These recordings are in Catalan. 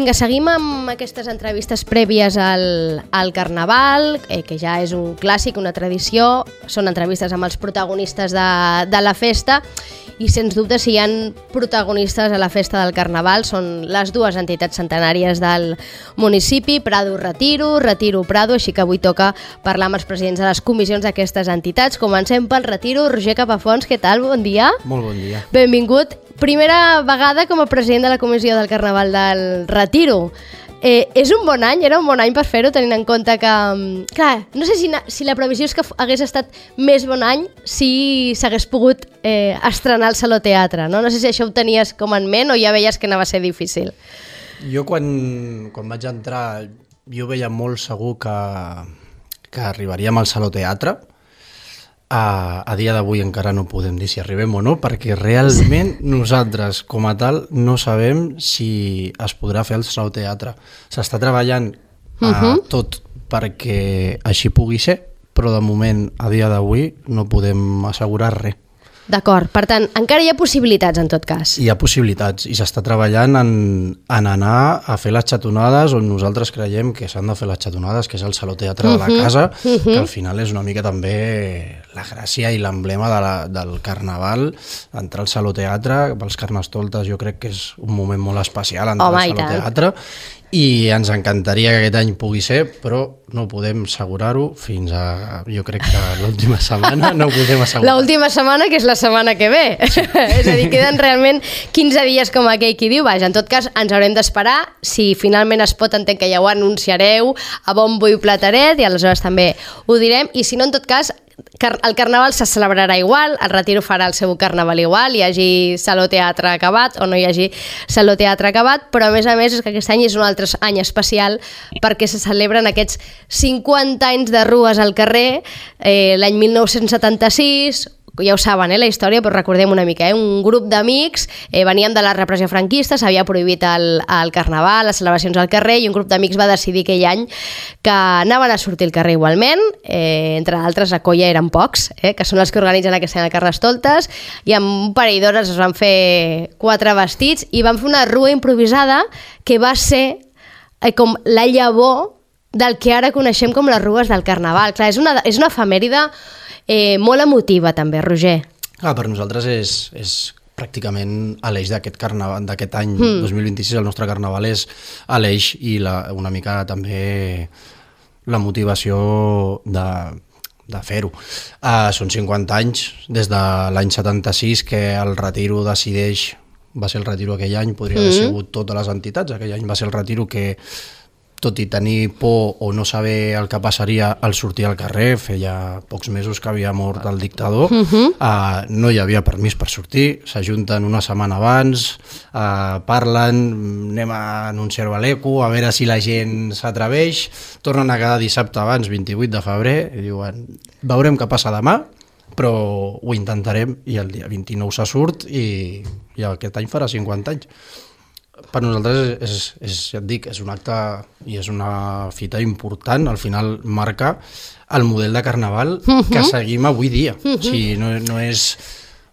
Vinga, seguim amb aquestes entrevistes prèvies al Carnaval, que ja és un clàssic, una tradició. Són entrevistes amb els protagonistes de la festa i, sens dubte, si hi ha protagonistes a la festa del Carnaval són les dues entitats centenàries del municipi, Prado Retiro, Retiro Prado, així que avui toca parlar amb els presidents de les comissions d'aquestes entitats. Comencem pel Retiro. Roger Capafons, què tal? Bon dia. Molt bon dia. Benvingut. Primera vegada com a president de la comissió del Carnaval del Retiro. És un bon any, era un bon any per fer-ho, tenint en compte que... Clar, no sé si la previsió és que hagués estat més bon any si s'hagués pogut estrenar el Saló Teatre, no? No sé si això ho tenies com en ment o ja veies que anava a ser difícil. Jo quan vaig entrar, jo veia molt segur que arribaríem al Saló Teatre. A dia d'avui encara no podem dir si arribem o no, perquè realment nosaltres, com a tal, no sabem si es podrà fer el Saló Teatre. S'està treballant tot perquè així pugui ser, però de moment, a dia d'avui, no podem assegurar res. D'acord, per tant, encara hi ha possibilitats en tot cas. Hi ha possibilitats i s'està treballant en anar a fer les xatonades on nosaltres creiem que s'han de fer les xatonades, que és el Saló Teatre de la casa, que al final és una mica també la gràcia i l'emblema del Carnaval. Entrar al Saló Teatre, pels Carnestoltes jo crec que és un moment molt especial entrar al Saló Teatre i ens encantaria que aquest any pugui ser, però no podem assegurar-ho fins a, jo crec que l'última setmana no ho podem assegurar. L'última setmana, que és la setmana que ve. Sí. És a dir, queden realment 15 dies com aquell qui diu. Vaja, en tot cas, ens haurem d'esperar. Si finalment es pot, entenc que ja ho anunciareu a bombo i plateret i aleshores també ho direm. I si no, en tot cas, el Carnaval se celebrarà igual, el Retiro farà el seu Carnaval igual, hi hagi Saló Teatre acabat o no hi hagi Saló Teatre acabat, però a més és que aquest any és un altre any especial perquè se celebren aquests 50 anys de rues al carrer, l'any 1976, ja ho saben, la història, però recordem una mica, un grup d'amics venien de la repressió franquista, s'havia prohibit el Carnaval, les celebracions al carrer, i un grup d'amics va decidir aquell any que anaven a sortir al carrer igualment, entre altres a Colla eren pocs, que són els que organitzen aquest any el Carnestoltes, i amb un parell d'hores es van fer 4 vestits i van fer una rua improvisada que va ser com la llavor del que ara coneixem com les rues del Carnaval. Clar, és una efemèride molt emotiva també, Roger. Per nosaltres és pràcticament l'eix d'aquest carnaval, d'aquest any 2026, el nostre carnaval és l'eix i una mica també la motivació de fer-ho. Són 50 anys, des de l'any 76 que el Retiro decideix, va ser el Retiro aquell any, podria haver sigut totes les entitats, aquell any va ser el Retiro que, tot i tenir por o no saber el que passaria al sortir al carrer, feia pocs mesos que havia mort el dictador, no hi havia permís per sortir, s'ajunten una setmana abans, parlen, anem a anunciar-ho a l'ECO, a veure si la gent s'atreveix, tornen a quedar dissabte abans, 28 de febrer, i diuen, veurem què passa demà, però ho intentarem, i el dia 29 se surt i aquest any farà 50 anys. Per nosaltres ja et dic, és un acte i és una fita important, al final marca el model de Carnaval que seguim avui dia. O sigui, no és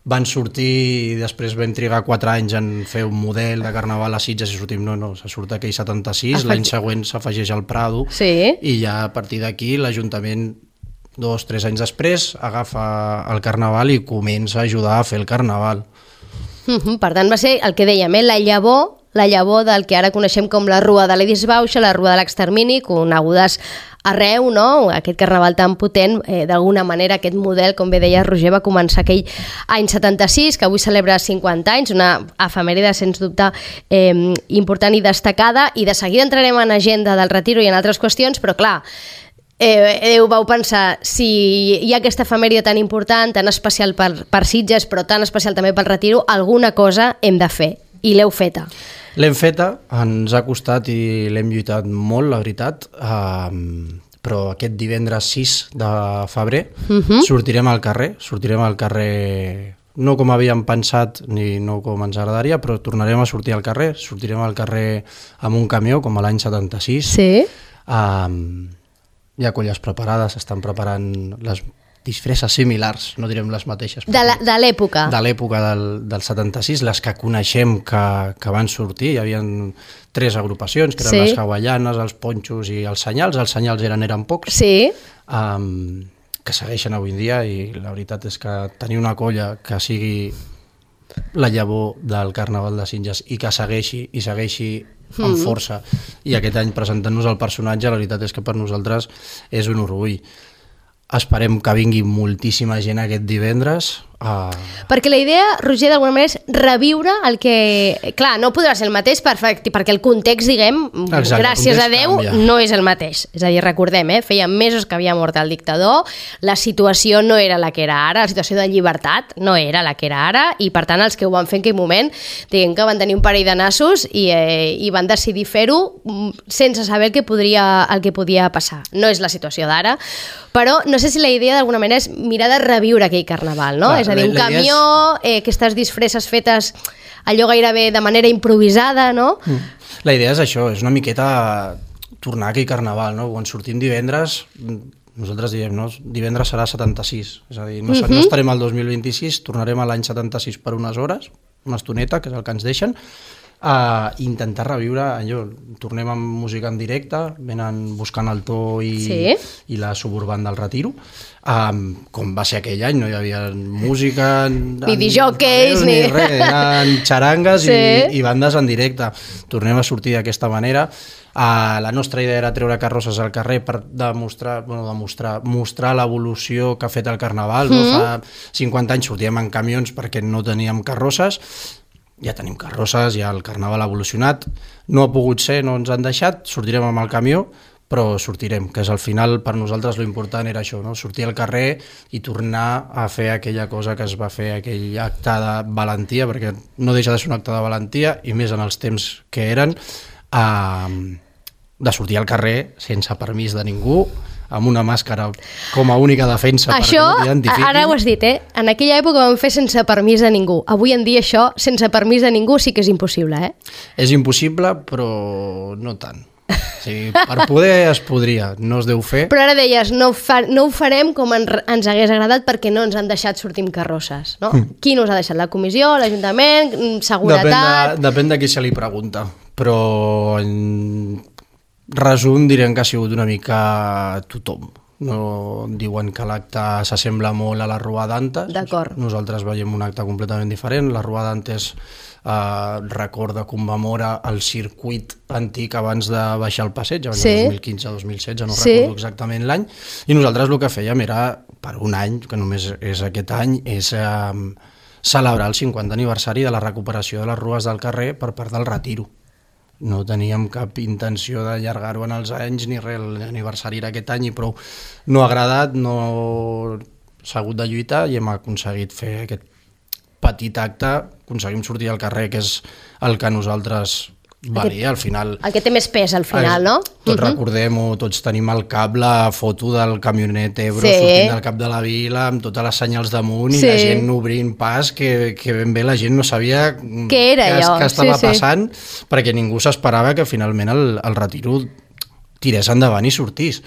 van sortir i després vam trigar 4 anys en fer un model de Carnaval a Sitges i sortim, no, se surt aquell 76, l'any següent s'afegeix al Prado i ja a partir d'aquí l'Ajuntament 2-3 anys després agafa el Carnaval i comença a ajudar a fer el Carnaval. Per tant, va ser el que dèiem, la llavor del que ara coneixem com la Rua de l'Edisbauxa, la Rua de l'Extermini, conegudes arreu, no? Aquest carnaval tan potent, d'alguna manera aquest model, com bé deia Roger, va començar aquell any 76, que avui celebra 50 anys, una efemèride sens dubte important i destacada, i de seguida entrarem en agenda del Retiro i en altres qüestions, però clar, vau pensar, si hi ha aquesta efemèride tan important, tan especial per Sitges, però tan especial també pel Retiro, alguna cosa hem de fer, i l'heu feta. L'hem feta, ens ha costat i l'hem lluitat molt, la veritat, però aquest divendres 6 de febrer sortirem al carrer no com havíem pensat ni no com ens agradaria, però tornarem a sortir al carrer, sortirem al carrer amb un camió com a l'any 76. Sí. Hi ha colles preparades, s'estan preparant les disfresses similars, no direm les mateixes. De l'època. De l'època del 76, les que coneixem que van sortir, hi havia 3 agrupacions, que eren les hawaianes, els ponxos i els senyals eren pocs, que segueixen avui en dia, i la veritat és que tenir una colla que sigui la llavor del Carnaval de Sitges i que segueixi amb força, i aquest any presentant-nos el personatge, la veritat és que per nosaltres és un orgull. Esperem que vingui moltíssima gent aquest divendres. Perquè la idea, Roger, d'alguna manera és reviure el que... Clar, no podrà ser el mateix perquè el context, diguem, gràcies a Déu, no és el mateix. És a dir, recordem, feia mesos que havia mort el dictador, la situació no era la que era ara, la situació de llibertat no era la que era ara, i per tant els que ho van fer en aquell moment, diguem que van tenir un parell de nassos i van decidir fer-ho sense saber el que podia passar. No és la situació d'ara, però no sé si la idea d'alguna manera és mirar de reviure aquell carnaval, no? És a dir, un camió, aquestes disfresses fetes allò gairebé de manera improvisada, no? La idea és això, és una miqueta tornar a aquell carnaval, no? Quan sortim divendres, nosaltres diem, no? Divendres serà 76, és a dir, no estarem al 2026, tornarem a l'any 76 per unes hores, una estoneta, que és el que ens deixen, a intentar reviure allò. Tornem amb música en directe, venen buscant el to i la suburban del Retiro, com va ser aquell any, no hi havia música ni disjòqueis ni res, eren xarangues i bandes en directe. Tornem a sortir d'aquesta manera. La nostra idea era treure carrosses al carrer per mostrar l'evolució que ha fet el Carnaval. Fa 50 anys sortíem en camions perquè no teníem carrosses, ja tenim carrosses, ja el Carnaval ha evolucionat, no ha pogut ser, no ens han deixat, sortirem amb el camió, però sortirem, que és al final per nosaltres l'important era això, no? Sortir al carrer i tornar a fer aquella cosa que es va fer, aquell acte de valentia, perquè no deixa de ser un acte de valentia, i més en els temps que eren, de sortir al carrer sense permís de ningú, amb una màscara com a única defensa perquè no t'identifiquin. Ara ho has dit, en aquella època ho vam fer sense permís de ningú. Avui en dia això, sense permís de ningú, sí que és impossible, És impossible, però no tant. O sigui, per poder es podria, no es deu fer. Però ara deies, no ho farem com ens hagués agradat perquè no ens han deixat sortir amb carrosses, no? Qui no us ha deixat? La comissió, l'Ajuntament, seguretat... Depèn de qui se li pregunta, però... resum, direm que ha sigut una mica tothom. No diuen que l'acte s'assembla molt a la Rua d'Antes. D'acord. Nosaltres veiem un acte completament diferent. La Rua d'Antes recorda, commemora el circuit antic abans de baixar el passeig, abans del 2015-2016, no recordo exactament l'any, i nosaltres el que fèiem era, per un any, que només és aquest any, és celebrar el 50 aniversari de la recuperació de les rues del carrer per part del Retiro. No teníem cap intenció d'allargar-ho en els anys ni res, l'aniversari era aquest any i prou. No ha agradat, no s'ha hagut de lluitar i hem aconseguit fer aquest petit acte, aconseguim sortir al carrer, que és el que nosaltres valia, al final... El que té més pes al final, no? Tots recordem-ho, tots tenim al cap la foto del camionet Ebro sortint del cap de la vila amb totes les senyals damunt i la gent obrint pas, que ben bé la gent no sabia què estava passant, perquè ningú s'esperava que finalment el Retiro tirés endavant i sortís.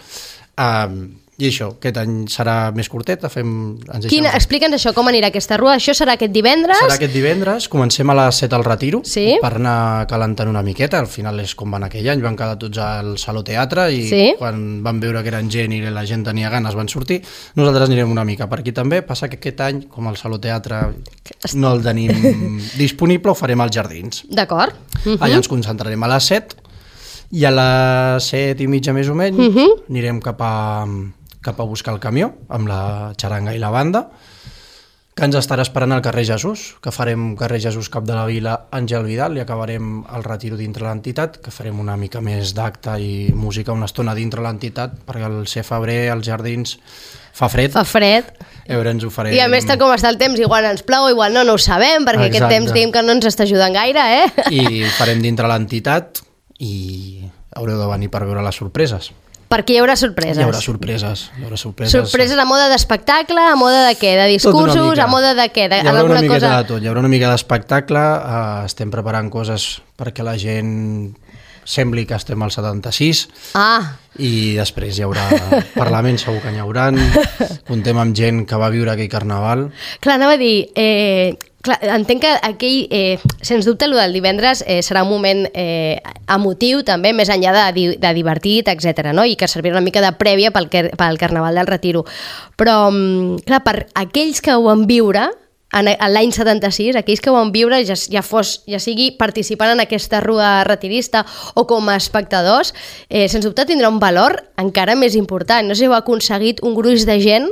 I això, aquest any serà més curtet. Explica'ns això, com anirà aquesta rua. Això serà aquest divendres? Serà aquest divendres, comencem a les 7 al Retiro, per anar calentant una miqueta. Al final és com van aquell any, van quedar tots al Saló Teatre i quan van veure que eren gent i la gent tenia ganes van sortir. Nosaltres anirem una mica per aquí també. Passa que aquest any, com el Saló Teatre no el tenim disponible, ho farem als Jardins. D'acord. Allà ens concentrarem a les 7 i a les 7 i mitja més o menys anirem cap a buscar el camió amb la xaranga i la banda, que ens estarà esperant al carrer Jesús, que farem carrer Jesús Cap de la Vila, Àngel Vidal, i acabarem el Retiro dintre l'entitat, que farem una mica més d'acte i música una estona dintre l'entitat, perquè al ser febrer als Jardins fa fred. Fa fred. Ens ho farem... I a més, tal com està el temps, igual ens plou, igual no ho sabem, perquè aquest temps diguem que no ens està ajudant gaire, I farem dintre l'entitat i haureu de venir per veure les sorpreses. Perquè hi haurà sorpreses. Hi haurà sorpreses. Sorpreses a moda d'espectacle, a moda de què? De discursos, a moda de què? Hi haurà una miqueta de tot. Hi haurà una mica d'espectacle, estem preparant coses perquè la gent sembli que estem al 76, i després hi haurà Parlament, segur que n'hi haurà, contem amb gent que va viure aquell carnaval. Clar, anava a dir, clar, entenc que aquell, sens dubte, el del divendres serà un moment emotiu també, més enllà de divertit, etc, no? I que servirà una mica de prèvia pel Carnaval del Retiro. Però, clar, per aquells que ho van viure, en l'any 76, aquells que ho van viure, ja sigui participant en aquesta rua retirista o com a espectadors, sens dubte tindrà un valor encara més important. No sé si heu aconseguit un gruix de gent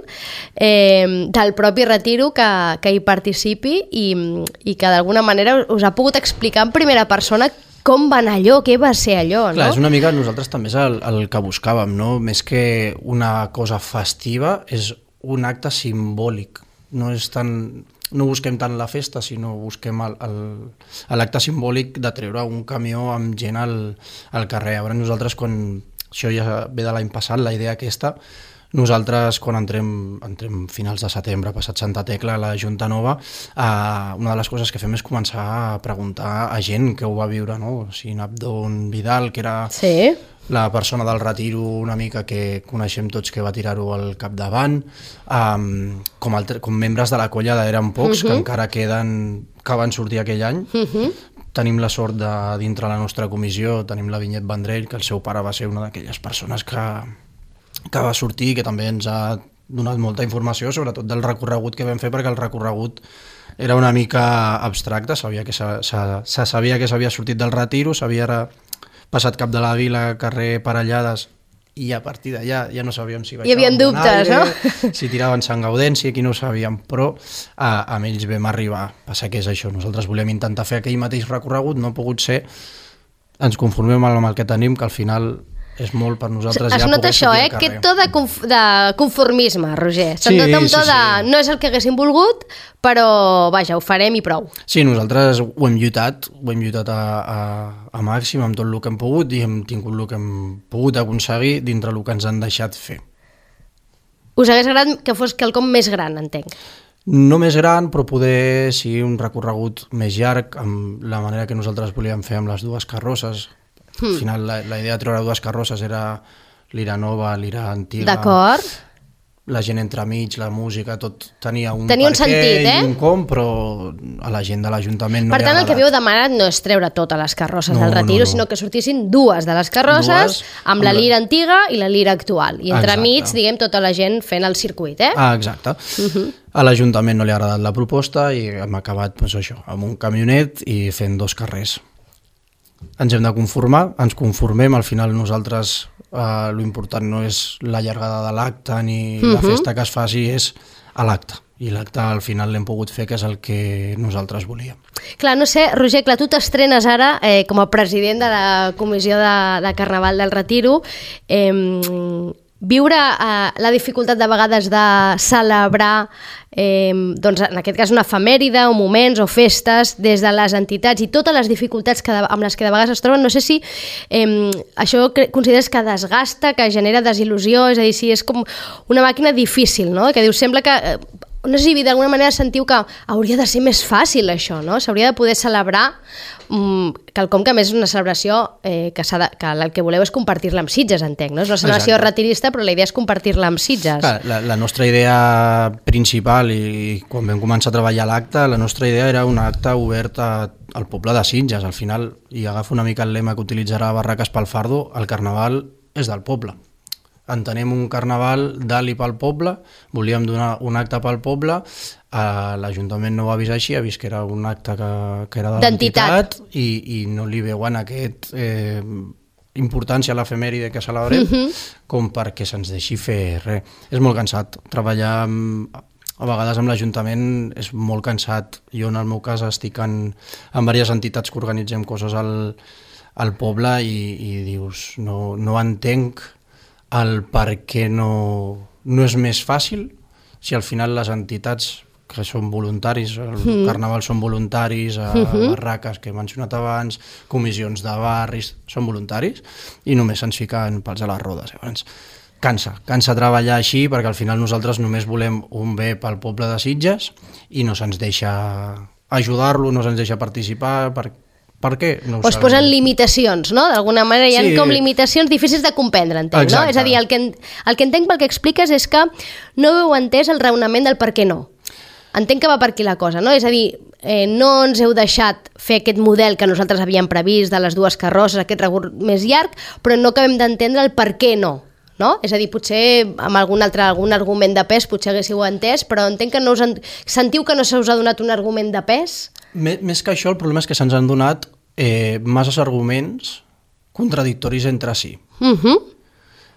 del propi retiro que hi participi i que d'alguna manera us ha pogut explicar en primera persona com va anar allò, què va ser allò, no? Clar, és una mica, nosaltres també és el que buscàvem, no? Més que una cosa festiva, és un acte simbòlic. No busquem tant la festa, sinó busquem l'acte simbòlic de treure un camió amb gent al carrer. Llavors nosaltres, quan això ja ve de l'any passat, la idea aquesta, nosaltres quan entrem finals de setembre, passat Santa Tecla, a la Junta Nova, una de les coses que fem és començar a preguntar a gent que ho va viure, no? O sigui, Abdon Vidal, que era... Sí. La persona del retiro una mica que coneixem tots que va tirar-ho al capdavant, com membres de la colla d'Eren Pocs, que encara queden, que van sortir aquell any. Tenim la sort de, dintre la nostra comissió, tenim la Vinyet Vendrell, que el seu pare va ser una d'aquelles persones que va sortir, que també ens ha donat molta informació, sobretot del recorregut que vam fer, perquè el recorregut era una mica abstracte, se sabia que s'havia sortit del retiro, s'havia passat cap de la vila, carrer Parellades, i a partir d'allà ja no sabíem si hi havia dubtes, no? Si tiraven Sant Gaudenci, aquí no ho sabíem, però amb ells vam arribar. Passa que és això, nosaltres volem intentar fer aquell mateix recorregut, no ha pogut ser, ens conformem amb el que tenim, que al final és molt per nosaltres ja poder sortir al carrer. Es nota això, aquest to de conformisme, Roger. Sí. No és el que haguéssim volgut, però vaja, ho farem i prou. Sí, nosaltres ho hem lluitat a màxim amb tot el que hem pogut i hem tingut el que hem pogut aconseguir dintre el que ens han deixat fer. Us hagués agradat que fos quelcom més gran, entenc. No més gran, però poder sigui un recorregut més llarg, amb la manera que nosaltres volíem fer amb les dues carrosses. Al final la idea de treure dues carrosses era l'Ira nova, l'Ira antiga. D'acord. La gent entremig, la música, tot tenia un sentit, i un com, però a la gent de l'Ajuntament no li ha agradat. Per tant, el que havíeu demanat no és treure totes les carrosses del retiro, sinó que sortissin dues de les carrosses amb la lira antiga i la lira actual. I entremig, diguem, tota la gent fent el circuit, eh? Exacte. A l'Ajuntament no li ha agradat la proposta i hem acabat amb un camionet i fent dos carrers. Ens hem de conformar, ens conformem, al final nosaltres l'important no és la llargada de l'acte ni la festa que es faci, és a l'acte. I l'acte al final l'hem pogut fer, que és el que nosaltres volíem. Clar, no sé, Roger, clar, tu t'estrenes ara com a president de la comissió de Carnaval del Retiro. Viure la dificultat de vegades de celebrar doncs en aquest cas una efemèride o moments o festes des de les entitats i totes les dificultats amb les que de vegades es troben, no sé si això consideres que desgasta, que genera desil·lusió, és a dir, si és com una màquina difícil, no? Que dius, sembla que no sé si d'alguna manera sentiu que hauria de ser més fàcil això, no? S'hauria de poder celebrar quelcom que a més és una celebració que el que voleu és compartir-la amb Sitges, entenc, no? És una celebració retirista, però la idea és compartir-la amb Sitges. Clar, la nostra idea principal, i quan vam començar a treballar l'acte, la nostra idea era un acte obert al poble de Sitges. Al final, i agafo una mica el lema que utilitzarà Barraques pel Fardo, el carnaval és del poble. Entenem un carnaval d'alt i pel poble, volíem donar un acte pel poble, l'Ajuntament no ho ha vist així, ha vist que era un acte que era de l'entitat i no li veuen aquest importància a l'efemèride que celebrem com perquè se'ns deixi fer res. És molt cansat, treballar a vegades amb l'Ajuntament és molt cansat. Jo en el meu cas estic en diverses entitats que organitzem coses al poble i dius, no entenc el per què no és més fàcil si al final les entitats que són voluntaris, el carnaval són voluntaris, barraques que he mencionat abans, comissions de barris, són voluntaris i només se'ns fiquen pals a les rodes. Llavors, cansa treballar així perquè al final nosaltres només volem un bé pel poble de Sitges i no se'ns deixa ajudar-lo, no se'ns deixa participar Per què? No ho O es sabem. posen limitacions, no? D'alguna manera hi ha com limitacions difícils de comprendre, entenc, no? Exacte. És a dir, el que entenc pel que expliques és que no heu entès el raonament del per què no. Entenc que va per aquí la cosa, no? És a dir, no ens heu deixat fer aquest model que nosaltres havíem previst de les dues carrosses, aquest recorregut més llarg, però no acabem d'entendre el per què no. No? És a dir, potser amb algun argument de pes potser haguéssiu entès, però entenc que no sentiu que no se us ha donat un argument de pes? Més que això, el problema és que se'ns han donat masses arguments contradictoris entre si.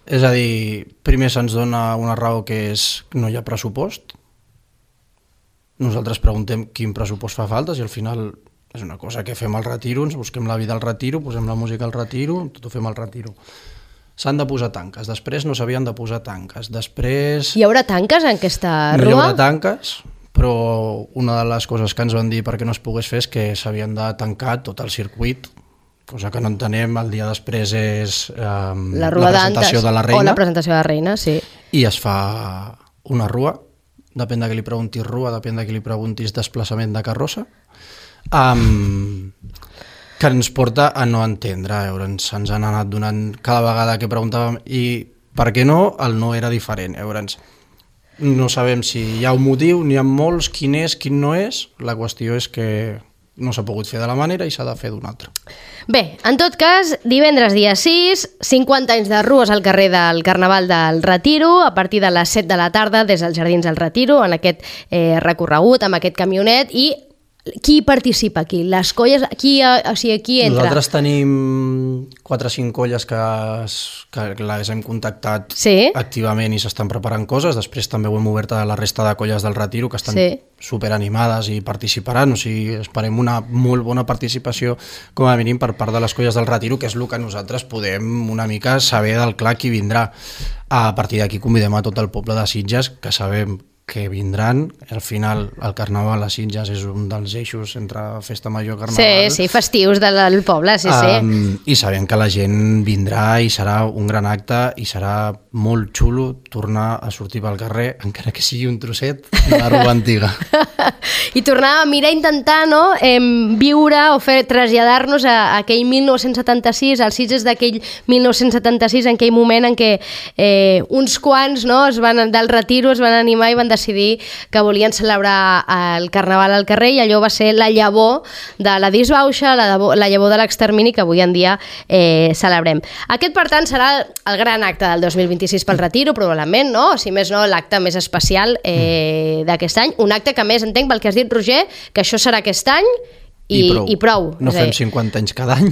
És a dir, primer se'ns dona una raó que és que no hi ha pressupost. Nosaltres preguntem quin pressupost fa falta, si al final és una cosa que fem al retiro, ens busquem la vida al retiro, posem la música al retiro, tot ho fem al retiro. S'han de posar tanques, després no s'havien de posar tanques, després... Hi haurà tanques en aquesta No hi rua? haurà tanques, però una de les coses que ens van dir perquè no es pogués fer és que s'havien de tancar tot el circuit, cosa que no entenem. El dia després és La la rua presentació d'antes, de la o reina la presentació de la reina, sí. i es fa una rua, depèn de qui li preguntis rua, depèn de qui li preguntis desplaçament de carrossa, que ens porta a no entendre. Llavors ens han anat donant cada vegada que preguntàvem i per què no, el no era diferent. Llavors no sabem si hi ha un motiu, n'hi ha molts, quin és, quin no és. La qüestió és que no s'ha pogut fer de la manera i s'ha de fer d'una altra. Bé, en tot cas, divendres dia 6, 50 anys de rues al carrer del Carnaval del Retiro, a partir de les 7 de la tarda des dels Jardins del Retiro, en aquest recorregut, amb aquest camionet, i qui participa aquí? Les colles, qui entra? Nosaltres tenim 4 o 5 colles que les hem contactat activament i s'estan preparant coses. Després també ho hem obert a la resta de colles del Retiro que estan superanimades i participaran. O sigui, esperem una molt bona participació com a mínim per part de les colles del Retiro, que és el que nosaltres podem una mica saber del clar qui vindrà. A partir d'aquí convidem a tot el poble de Sitges, que sabem que vindran. Al final el Carnaval a Sitges és un dels eixos entre festa major i Carnaval. Sí, festius del poble, sí. I sabem que la gent vindrà i serà un gran acte i serà molt xulo tornar a sortir pel carrer, encara que sigui un trosset de la rua antiga. I tornar a mirar, intentar viure o traslladar-nos a aquell 1976, als Sitges d'aquell 1976, en aquell moment en què uns quants del Retiro es van animar i van decidir que volien celebrar el Carnaval al carrer, i allò va ser la llavor de la disbauxa, la llavor de l'extermini que avui en dia celebrem. Aquest, per tant, serà el gran acte del 2026 pel Retiro, probablement, no? Si més no, l'acte més especial d'aquest any. Un acte que, més entenc pel que has dit, Roger, que això serà aquest any i prou. No fem 50 anys cada any.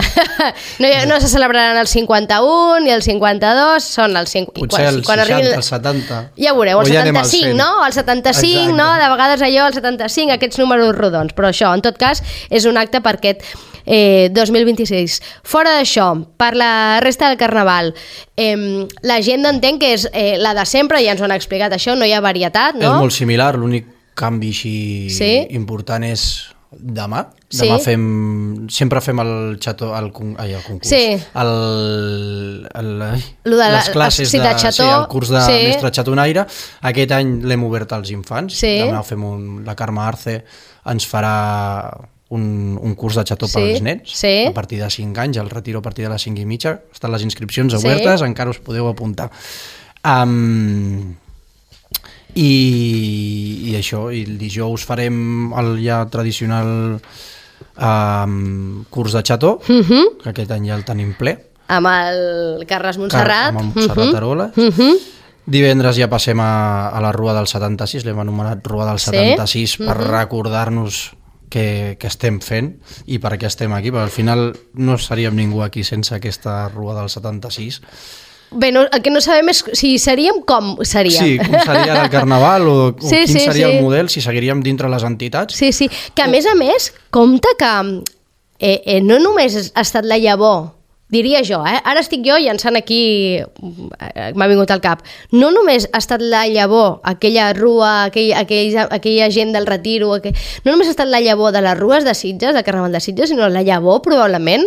No se celebraran el 51 ni el 52, són el 50... Potser el 60, el 70... Ja veureu, el 75, no? El 75, no? De vegades allò, el 75, aquests números rodons. Però això, en tot cas, és un acte per aquest 2026. Fora d'això, per la resta del Carnaval, l'agenda entenc que és la de sempre, ja ens ho han explicat això, no hi ha varietat, no? És molt similar, l'únic canvi així important és demà. Demà sempre fem el concurs. Sí. Les classes de xató. El curs de mestre xatonaire. Aquest any l'hem obert als infants. Demà fem la Carme Arce ens farà un curs de xató pels nens a partir de 5 anys, el Retiro a partir de les 5:30. Estan les inscripcions obertes, encara us podeu apuntar. I això, i el dijous farem el ja tradicional curs de xató, que aquest any ja el tenim ple. Amb el Carles Montserrat. Amb Montserrat Aroles. Divendres ja passem a la Rua del 76, l'hem anomenat Rua del 76 per recordar-nos què estem fent i per què estem aquí, perquè al final no seríem ningú aquí sense aquesta Rua del 76. Bé, el que no sabem és si seríem, com seríem. Sí, com seria el Carnaval o quin seria el model, si seguiríem dintre les entitats. Sí, que a més, compte que no només ha estat la llavor, diria jo, ara estic jo llançant aquí, m'ha vingut al cap, no només ha estat la llavor, aquella rua, aquella gent del Retiro, no només ha estat la llavor de les rues de Sitges, del Carnaval de Sitges, sinó la llavor, probablement,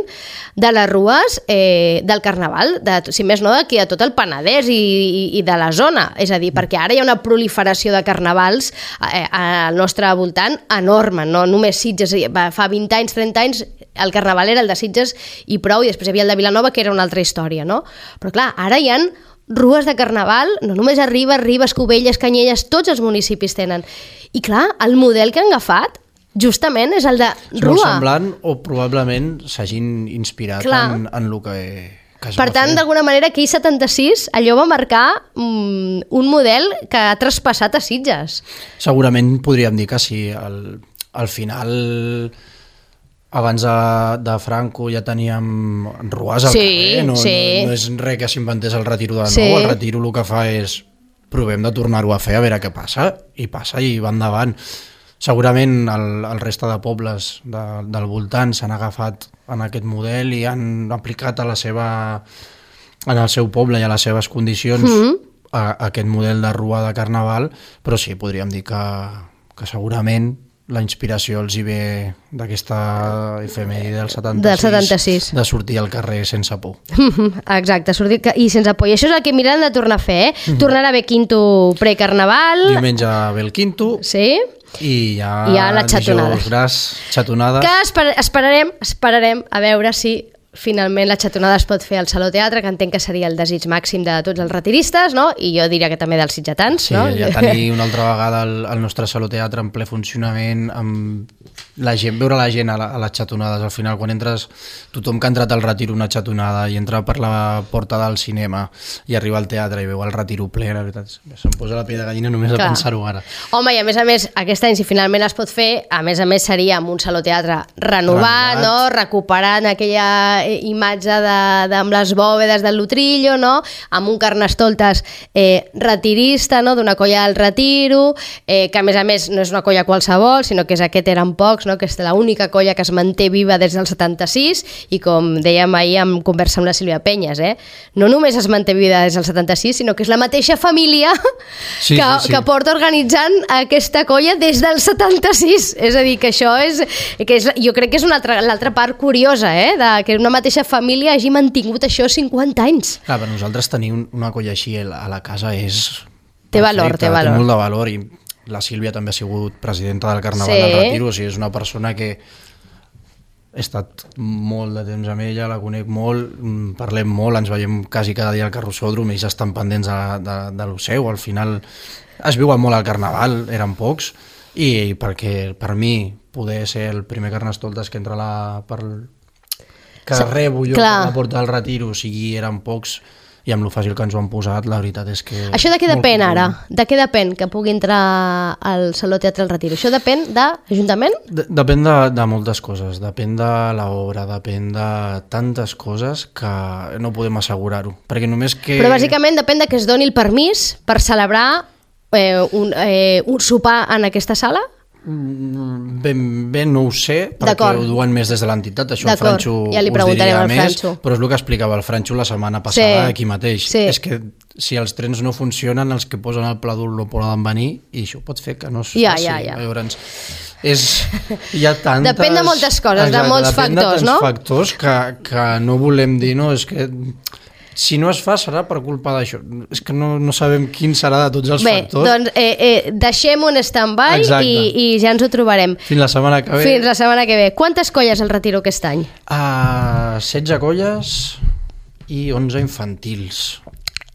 de les rues del Carnaval, si més no, d'aquí a tot el Penedès i de la zona. És a dir, perquè ara hi ha una proliferació de carnavals al nostre voltant enorme, no només Sitges, fa 20 anys, 30 anys, el Carnaval era el de Sitges i prou, i després hi havia el de Vilanova, que era una altra història, no? Però clar, ara hi ha rues de Carnaval, no només a Ribes, Cubelles, Canyelles, tots els municipis tenen. I clar, el model que han agafat justament és el de rua. És molt semblant, o probablement s'hagin inspirat en el que es per tant, d'alguna manera, aquell 76, allò va marcar un model que ha traspassat a Sitges. Segurament podríem dir que sí. Al final, abans de Franco ja teníem rues al carrer. No és res que s'inventés el retiro de nou. El retiro el que fa és provem de tornar-ho a fer, a veure què passa, i va endavant. Segurament el reste de pobles del voltant s'han agafat en aquest model i han aplicat en el seu poble i a les seves condicions aquest model de rua de Carnaval, però sí, podríem dir que segurament la inspiració els hi ve d'aquesta efemèride del 76, de sortir al carrer sense por. Exacte, sortir i sense por. I això és el que mirem de tornar a fer, Tornarà a haver quinto precarnaval. Diumenge ve el quinto. Sí. I ja la xatonada. Dijous gras, xatonada. Que esperarem a veure si finalment la xatonada es pot fer al Saló Teatre, que entenc que seria el desig màxim de tots els retiristes, no? I jo diria que també dels sitgetans. Sí, ja tenir una altra vegada el nostre Saló Teatre en ple funcionament, amb la gent, veure la gent a les xatonades. Al final, quan entres, tothom que ha entrat al retiro una xatonada i entra per la porta del cinema i arriba al teatre i veu el retiro ple, la veritat, se'm posa la pell de gallina només de pensar-ho ara. Home, i a més, aquest any, si finalment es pot fer, a més seria amb un Saló Teatre renovat, no? Recuperant aquella imatge amb les bòvedes del Lutrillo, no? Amb un Carnestoltes retirista, no? D'una colla del retiro, que a més no és una colla qualsevol, sinó que és aquest Eren Pocs, no? Que és l'única colla que es manté viva des del 76, i com dèiem ahir en conversa amb la Sílvia Penyes, no només es manté viva des del 76, sinó que és la mateixa família que porta organitzant aquesta colla des del 76. És a dir, que això jo crec que és l'altra part curiosa, que una mateixa família hagi mantingut això 50 anys. Clar, per nosaltres tenir una colla així a la casa té valor. Té molt de valor, i la Sílvia també ha sigut presidenta del Carnaval del Retiro, o sigui, és una persona que he estat molt de temps amb ella, la conec molt, parlem molt, ens veiem quasi cada dia al carrossòdrom, ells estan pendents de lo seu. Al final es viuen molt al Carnaval, Eren Pocs, i perquè per mi poder ser el primer Carnestoltes que entra que rebo jo per la porta del retiro, o sigui, Eren Pocs, i amb lo fàcil que ens ho han posat, la veritat és que... Això de què depèn ara? De què depèn que pugui entrar al Saló Teatre del Retiro? Això depèn de l'Ajuntament? Depèn de moltes coses, depèn de l'obra, depèn de tantes coses que no podem assegurar-ho, perquè només que... Però bàsicament depèn de que es doni el permís per celebrar un sopar en aquesta sala? Ben no ho sé, perquè ho duen més des de l'entitat, això el Franxo ja li preguntarem al Franxo. Però és el que explicava el Franxo la setmana passada aquí mateix. És que si els trens no funcionen, els que posen el pla dur no poden venir, i això pot fer que no es faci. Llavors, hi ha tantes... Depèn de moltes coses, de molts factors, no? Depèn de tants factors que no volem dir, no, és que... Si no es fa serà per culpa d'això. És que no sabem quin serà de tots els factors. Bé, doncs deixem un stand-by i ja ens ho trobarem. Fins la setmana que ve. Quantes colles el retiro aquest any? 16 colles i 11 infantils.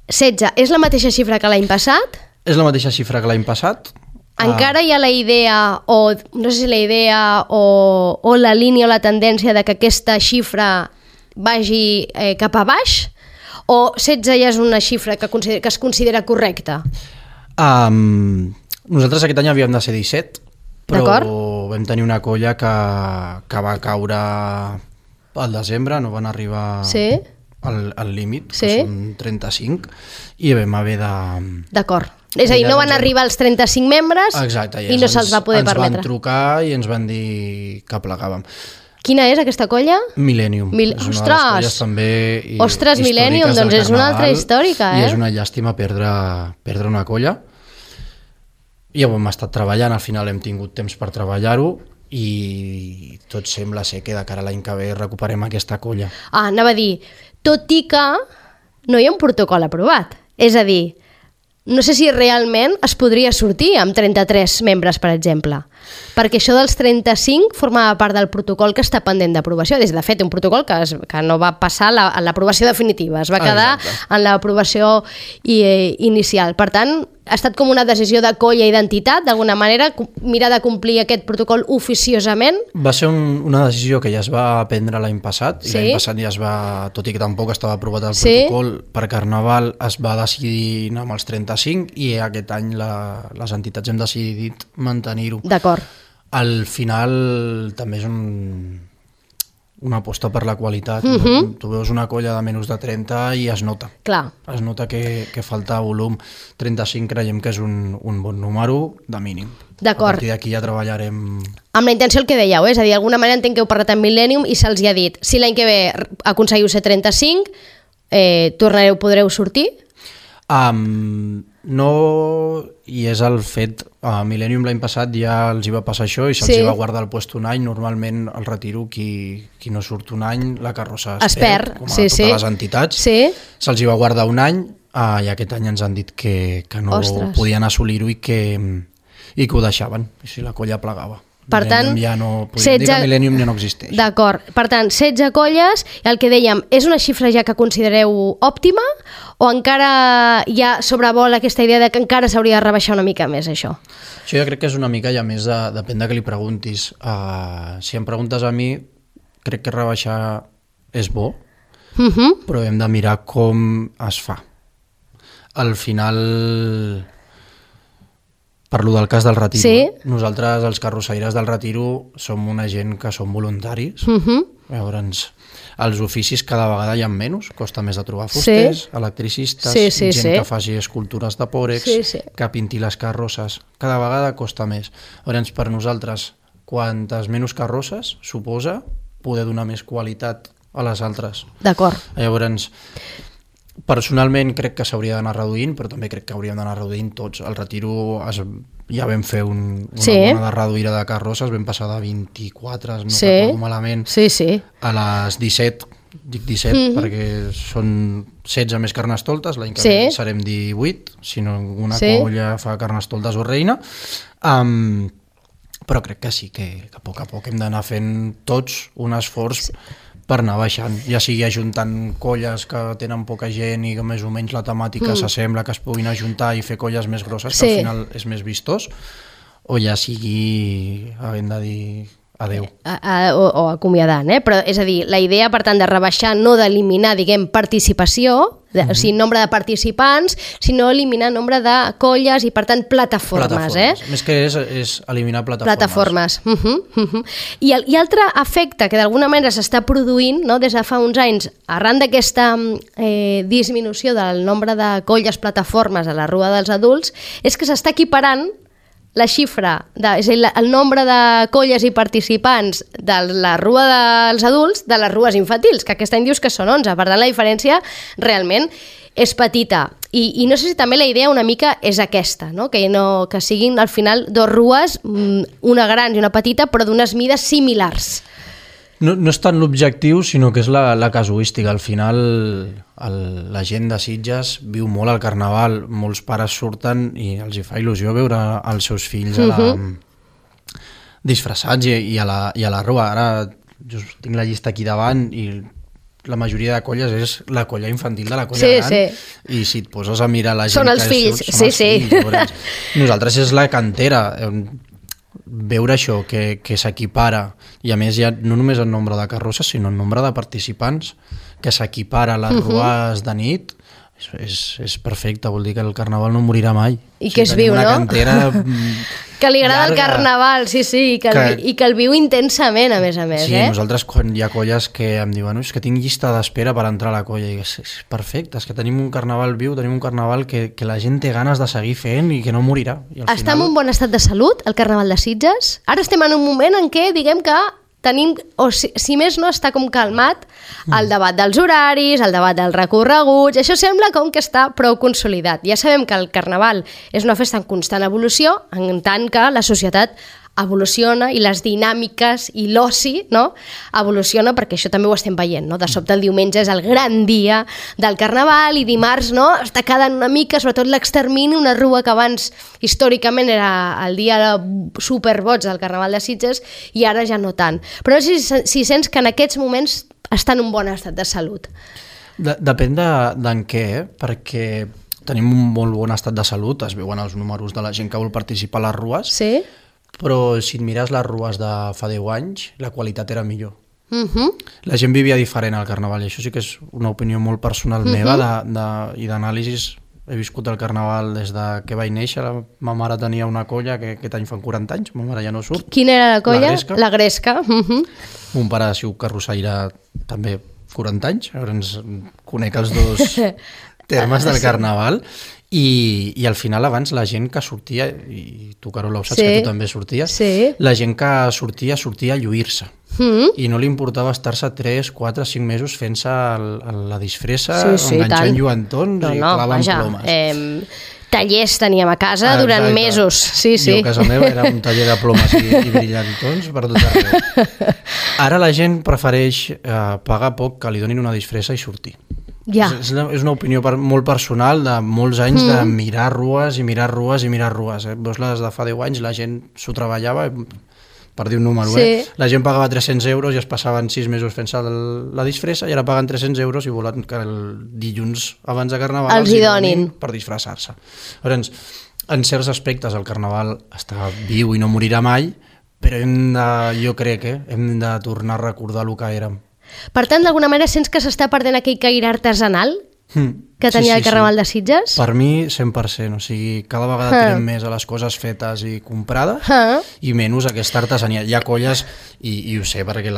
16. És la mateixa xifra que l'any passat? És la mateixa xifra que l'any passat. Encara hi ha la idea, o no sé si la idea, o la línia o la tendència de que aquesta xifra vagi cap a baix? O 16 ja és una xifra que es considera correcta? Nosaltres aquest any havíem de ser 17, però vam tenir una colla que va caure al desembre, no van arribar al límit, que són 35, i vam haver de... D'acord. És a dir, no van arribar als 35 membres i no se'ls va poder permetre. Ens van trucar i ens van dir que plegàvem. Quina és aquesta colla? Millennium. Ostres, Millennium, doncs és una altra històrica, I és una llàstima perdre una colla. I ho hem estat treballant, al final hem tingut temps per treballar-ho, i tot sembla ser que de cara a l'any que ve recuperem aquesta colla. Anava a dir, tot i que no hi ha un protocol aprovat. És a dir, no sé si realment es podria sortir amb 33 membres, per exemple. Perquè això dels 35 formava part del protocol que està pendent d'aprovació. De fet, un protocol que no va passar a l'aprovació definitiva, es va quedar en l'aprovació inicial. Per tant, ha estat com una decisió de colla i d'entitat, d'alguna manera, mirar de complir aquest protocol oficiosament. Va ser una decisió que ja es va prendre l'any passat, i l'any passat ja es va, tot i que tampoc estava aprovat el protocol, per Carnaval es va decidir anar amb els 35 i aquest any les entitats hem decidit mantenir-ho. D'acord. Al final també és una aposta per la qualitat. Tu veus una colla de menys de 30 i es nota. Clar. Es nota que falta volum. 35 creiem que és un bon número de mínim. D'acord. A partir d'aquí ja treballarem... Amb la intenció el que dèieu, és a dir, d'alguna manera entenc que heu parlat amb Millennium i se'ls ha dit, si l'any que ve aconseguiu ser 35, podreu sortir? No, i és el fet, a Millennium l'any passat ja els hi va passar això i se'ls va guardar el puesto un any. Normalment al retiro qui no surt un any, la carrossa es perd, com a totes les entitats. Se'ls hi va guardar un any i aquest any ens han dit que no podien assolir-ho i que ho deixaven, si la colla plegava. Per tant, ja no podríem dir que Millennium ja no existeix. D'acord. Per tant, 16 colles, el que dèiem, és una xifra ja que considereu òptima o encara ja sobrevola aquesta idea de que encara s'hauria de rebaixar una mica més això? Això jo crec que és una mica ja més depèn de què li preguntis. Si em preguntes a mi, crec que rebaixar és bo, però hem de mirar com es fa. Al final... Parlo del cas del retiro. Nosaltres, els carrossaires del retiro, som una gent que som voluntaris. Llavors, els oficis cada vegada hi ha menys, costa més de trobar fusters, electricistes, gent que faci escultures de pòrex, que pinti les carrosses. Cada vegada costa més. Llavors, per nosaltres, quantes menys carrosses suposa poder donar més qualitat a les altres. D'acord. Llavors, personalment crec que s'hauria d'anar reduint, però també crec que hauríem d'anar reduint tots. Al retiro ja vam fer una bona reduïda de carrosses, vam passar de 24, no recordo malament, a les 17, dic 17 perquè són 16 més carnestoltes, l'any que ve serem 18, si no una colla fa carnestoltes o reina, però crec que sí, que a poc hem d'anar fent tots un esforç per anar baixant, ja sigui ajuntant colles que tenen poca gent i que més o menys la temàtica s'assembla, que es puguin ajuntar i fer colles més grosses, que al final és més vistós, o ja sigui havent de dir adeu. O acomiadant, però és a dir, la idea per tant de rebaixar, no d'eliminar, diguem, participació, o sigui, nombre de participants, sinó eliminar nombre de colles i per tant plataformes. Més que és eliminar plataformes. I altre efecte que d'alguna manera s'està produint des de fa uns anys, arran d'aquesta disminució del nombre de colles plataformes a la Rua dels Adults, és que s'està equiparant la xifra, és a dir, el nombre de colles i participants de la Rua dels Adults de les rues infantils, que aquest any dius que són 11, per tant la diferència realment és petita. I no sé si també la idea una mica és aquesta, que siguin al final dos rues, una gran i una petita, però d'unes mides similars. No és tant l'objectiu, sinó que és la casuística. Al final la gent de Sitges viu molt al Carnaval, molts pares surten i els hi fa il·lusió veure els seus fills disfressats i a la Rua. Ara jo tinc la llista aquí davant i la majoria de colles és la colla infantil de la colla gran i si et poses a mirar la gent són els fills, fills. Nosaltres és la cantera. Veure això, que s'equipara, i a més ja no només el nombre de carrosses, sinó el nombre de participants, que s'equipara a les rues de nit, és perfecte, vol dir que el Carnaval no morirà mai. I que es viu, no? Cantera que li agrada el Carnaval, i que el viu intensament, a més. Sí, nosaltres quan hi ha colles que em diuen és que tinc llista d'espera per entrar a la colla, i és perfecte, és que tenim un Carnaval viu, tenim un Carnaval que la gent té ganes de seguir fent i que no morirà. Està en un bon estat de salut, el Carnaval de Sitges? Ara estem en un moment en què, diguem que tenim, o si més no, està com calmat el debat dels horaris, el debat dels recorreguts, això sembla com que està prou consolidat. Ja sabem que el Carnaval és una festa en constant evolució, en tant que la societat evoluciona i les dinàmiques i l'oci, no? Evoluciona, perquè això també ho estem veient, no? De sobte el diumenge és el gran dia del Carnaval i dimarts, no? Està quedant una mica, sobretot l'extermini, una rua que abans històricament era el dia superboig del Carnaval de Sitges i ara ja no tant. Però no sé si sents que en aquests moments està en un bon estat de salut. Depèn d'en què, perquè tenim un molt bon estat de salut, es veuen els números de la gent que vol participar a les rues, Sí? però si et mires les rues de fa 10 anys, la qualitat era millor. La gent vivia diferent al Carnaval, i això sí que és una opinió molt personal meva i d'anàlisis. He viscut el Carnaval des de que vaig néixer. Ma mare tenia una colla que aquest any fan 40 anys, ma mare ja no surt. Quina era la colla? La Gresca. La Gresca. Mon pare ha sigut carrossaire també 40 anys, llavors conec els dos termes del Carnaval i al final abans la gent que sortia, i tu Carola ho saps, que tu també sorties, la gent que sortia a lluir-se i no li importava estar-se 3, 4, 5 mesos fent-se la disfressa, enganxant lluentons i clavant plomes. Tallers teníem a casa durant mesos. Sí. Jo a casa meva era un taller de plomes i brillantons per tot arreu. Ara la gent prefereix pagar poc que li donin una disfressa i sortir. És una opinió molt personal de molts anys de mirar rues i mirar rues i mirar rues. Veus les de fa 10 anys, la gent s'ho treballava, per dir un número, la gent pagava 300 euros i es passaven 6 mesos fent-se la disfressa i ara paguen 300 euros i volen que el dilluns abans de Carnaval els hi donin per disfressar-se. Llavors, en certs aspectes el Carnaval està viu i no morirà mai, però jo crec que hem de tornar a recordar el que érem. Per tant, d'alguna manera sents que s'està perdent aquell caire artesanal que tenia el Carnaval de Sitges? Per mi, 100%. O sigui, cada vegada tirem més a les coses fetes i comprades i menys aquesta artesania. Hi ha colles, i ho sé perquè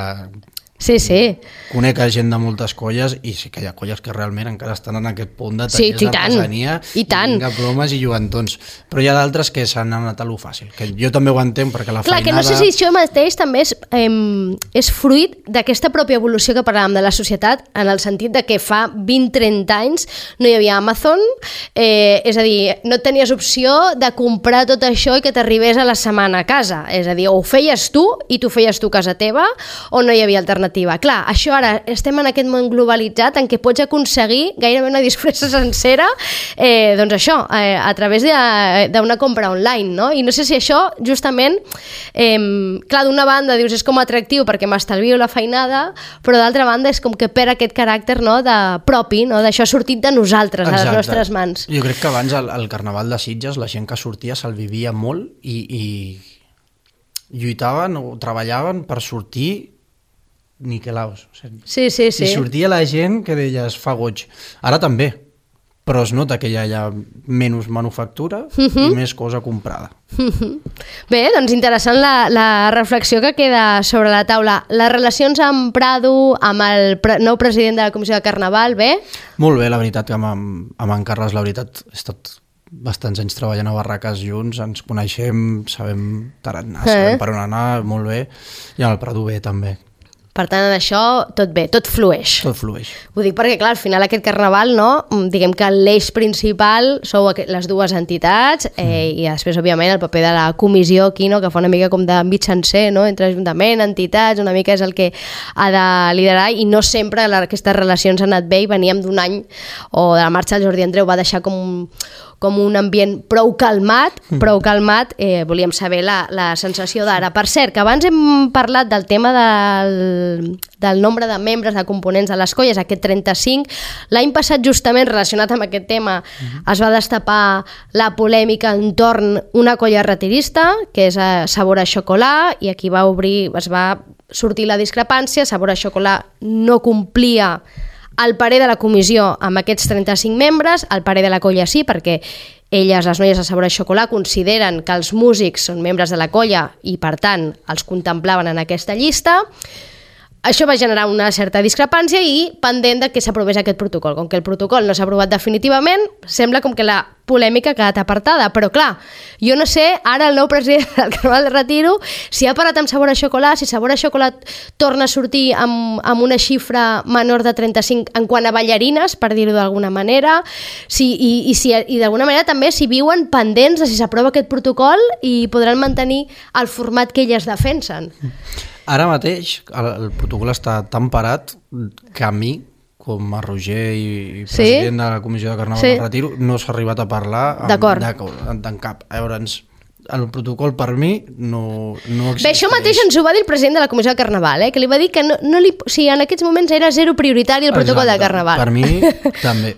conec gent de moltes colles i sí que hi ha colles que realment encara estan en aquest punt de tallers d'artesania i plomes i lluentons, però hi ha d'altres que s'han anat a lo fàcil, que jo també ho entenc perquè la feinada... Clar, que no sé si això mateix també és fruit d'aquesta pròpia evolució que parlàvem de la societat, en el sentit de que fa 20-30 anys no hi havia Amazon, és a dir, no tenies opció de comprar tot això i que t'arribés a la setmana a casa, és a dir, o ho feies tu i t'ho feies tu a casa teva o no hi havia alternativa. Clar, això ara estem en aquest món globalitzat en què pots aconseguir gairebé una disfressa sencera doncs això, a través d'una compra online, no? I no sé si això justament clar, d'una banda dius és com atractiu perquè m'estalvio la feinada, però d'altra banda és com que perd aquest caràcter de propi, d'això ha sortit de nosaltres, a les nostres mans. Jo crec que abans al Carnaval de Sitges la gent que sortia se'l vivia molt i lluitaven o treballaven per sortir niquelaos. Sí. I sortia la gent que deies fa goig. Ara també, però es nota que hi ha menys manufactura i més cosa comprada. Bé, doncs interessant la reflexió que queda sobre la taula. Les relacions amb Prado, amb el nou president de la Comissió de Carnaval, bé? Molt bé, la veritat que amb en Carles, la veritat, he estat bastants anys treballant a barraques junts, ens coneixem, sabem tarannà, sabem per on anar, molt bé, i amb el Prado bé també. Per tant, en això tot bé, tot flueix. Tot flueix. Ho dic perquè, clar, al final aquest Carnaval, no? Diguem que l'eix principal sou les dues entitats i després, òbviament, el paper de la comissió aquí, no? Que fa una mica com de mitjancer, no? Entre ajuntament, entitats, una mica és el que ha de liderar i no sempre aquestes relacions han anat bé i veníem d'un any o de la marxa del Jordi Andreu va deixar com un ambient prou calmat, volíem saber la sensació d'ara. Per cert, que abans hem parlat del tema del nombre de membres, de components de les colles, aquest 35. L'any passat, justament relacionat amb aquest tema, es va destapar la polèmica entorn una colla retirista, que és Sabor a Xocolà, i aquí es va sortir la discrepància. Sabor a Xocolà no complia el parer de la comissió amb aquests 35 membres, el parer de la colla sí, perquè elles, les noies de Sabor a Xocolà, consideren que els músics són membres de la colla i, per tant, els contemplaven en aquesta llista. això va generar una certa discrepància i pendent de que s'aprovés aquest protocol. Com que el protocol no s'ha aprovat definitivament, sembla com que la polèmica ha quedat apartada. Però clar, jo no sé, ara el nou president del Carnaval de Retiro, si ha parat amb Sabor a Xocolat, si Sabor a Xocolat torna a sortir amb una xifra menor de 35 en quant a ballarines, per dir-ho d'alguna manera, i d'alguna manera també si viuen pendents de si s'aprova aquest protocol i podran mantenir el format que elles defensen. Ara mateix el protocol està tan parat que a mi, com a Roger i president de la Comissió de Carnaval del Retiro, no s'ha arribat a parlar en cap. Llavors, el protocol per mi no existeix. Bé, això mateix ens ho va dir el president de la Comissió de Carnaval, que li va dir que en aquests moments era zero prioritari el protocol de Carnaval. Per mi també.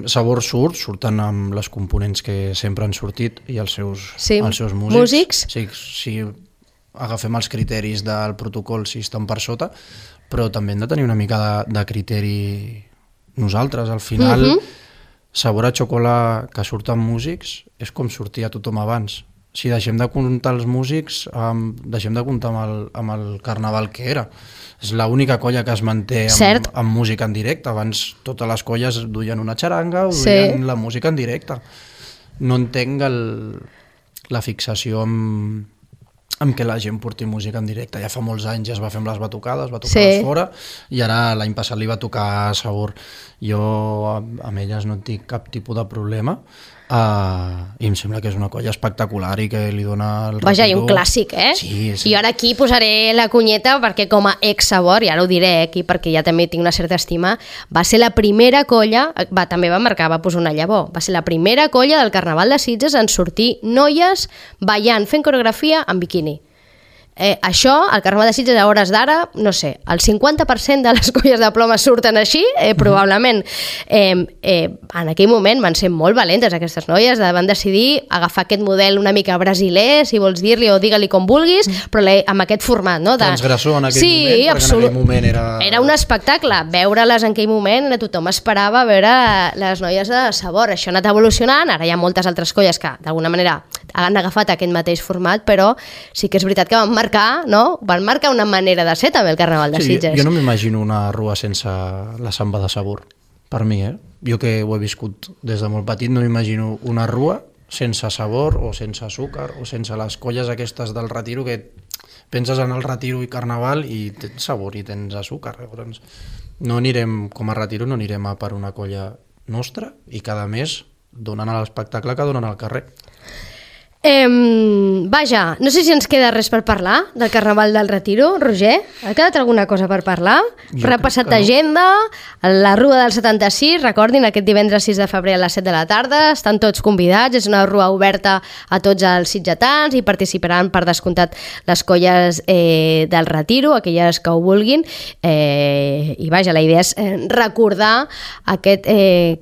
Sabor surten amb les components que sempre han sortit i els seus músics. Si agafem els criteris del protocol, si estan per sota, però també hem de tenir una mica de criteri nosaltres. Al final, Sabor a Xocolat que surt amb músics és com sortia tothom abans. Si deixem de comptar els músics, deixem de comptar amb el carnaval que era. És l'única colla que es manté amb música en directe. Abans totes les colles duien una xaranga o duien la música en directe. No entenc la fixació amb què la gent porti música en directe. Ja fa molts anys ja es va fer amb les batucades fora, i ara l'any passat li va tocar a Sabor. Jo amb elles no tinc cap tipus de problema, i em sembla que és una colla espectacular i que li dona el Vaja, i un clàssic, Sí. I ara aquí posaré la cunyeta perquè com a ex-Sabor, i ara ho diré aquí perquè ja també tinc una certa estima, va ser la primera colla, també va posar una llavor, va ser la primera colla del Carnaval de Sitges en sortir noies ballant, fent coreografia en biquini. Això, al Carnaval de Sitges a hores d'ara, no sé, el 50% de les colles de ploma surten així, probablement. En aquell moment van ser molt valentes aquestes noies, van decidir agafar aquest model una mica brasiler, si vols dir-li, o digue-li com vulguis, però amb aquest format, no? Transgressor en aquell moment, perquè en aquell moment era un espectacle. Veure-les en aquell moment, tothom esperava veure les noies de Sabor. Això ha anat evolucionant, ara hi ha moltes altres colles que d'alguna manera han agafat aquest mateix format, però sí que és veritat que van marcar una manera de ser també el Carnaval de Sitges. Jo no m'imagino una rua sense la samba de Sabor, per mi, Jo que ho he viscut des de molt petit, no m'imagino una rua sense sabor o sense açúcar o sense les colles aquestes del Retiro, que penses en el Retiro i Carnaval i tens sabor i tens açúcar. Llavors, com a Retiro no anirem a per una colla nostra i cada mes donant l'espectacle que donen al carrer. Vaja, no sé si ens queda res per parlar del Carnaval del Retiro, Roger. Ha quedat alguna cosa per parlar? Repassat d'agenda, la Rua del 76, recordin, aquest divendres 6 de febrer a les 7 de la tarda, estan tots convidats, és una rua oberta a tots els sitgetans i participaran per descomptat les colles del Retiro, aquelles que ho vulguin, i vaja, la idea és recordar aquest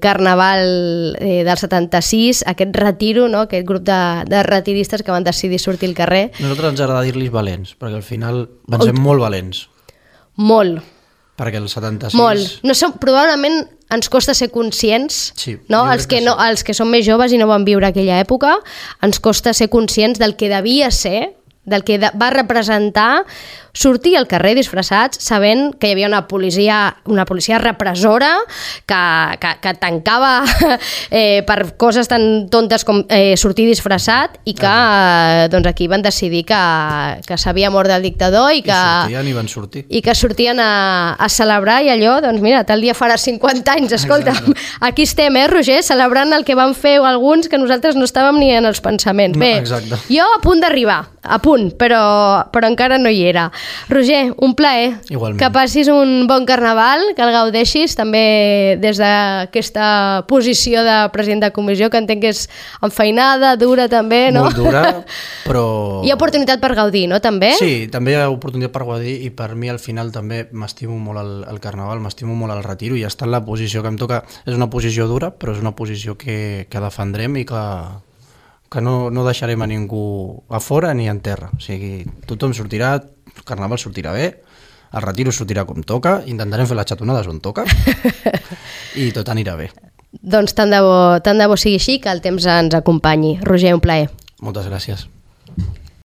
Carnaval del 76, aquest Retiro, no? Aquest grup de retiristes que van decidir sortir al carrer. Nosaltres ens agrada dir-los valents, perquè al final van ser molt valents. Molt. Perquè el 76... Molt. No som, probablement ens costa ser conscients, no? Els que són més joves i no van viure aquella època, ens costa ser conscients del que devia ser, del que va representar sortir al carrer disfressats sabent que hi havia una policia repressora que tancava per coses tan tontes com sortir disfressat i que doncs aquí van decidir que s'havia mort el dictador i que sortien a celebrar i allò, doncs mira, tal dia farà 50 anys, escolta, aquí estem, Roger, celebrant el que van fer alguns que nosaltres no estàvem ni en els pensaments. Bé, jo a punt d'arribar, però encara no hi era. Roger, un plaer. Igualment. Que passis un bon carnaval, que el gaudeixis, també des d'aquesta posició de president de comissió, que entenc que és enfeinada, dura també, no? Molt dura, però... Hi ha oportunitat per gaudir, no, també? Sí, també hi ha oportunitat per gaudir i per mi al final també m'estimo molt el carnaval, m'estimo molt el Retiro i està en la posició que em toca. És una posició dura, però és una posició que defendrem i que no deixarem a ningú a fora ni en terra. O sigui, tothom sortirà, el carnaval sortirà bé, el Retiro sortirà com toca, intentarem fer les xatonades on toca i tot anirà bé. Doncs tant de bo sigui així, que el temps ens acompanyi. Roger, un plaer. Moltes gràcies.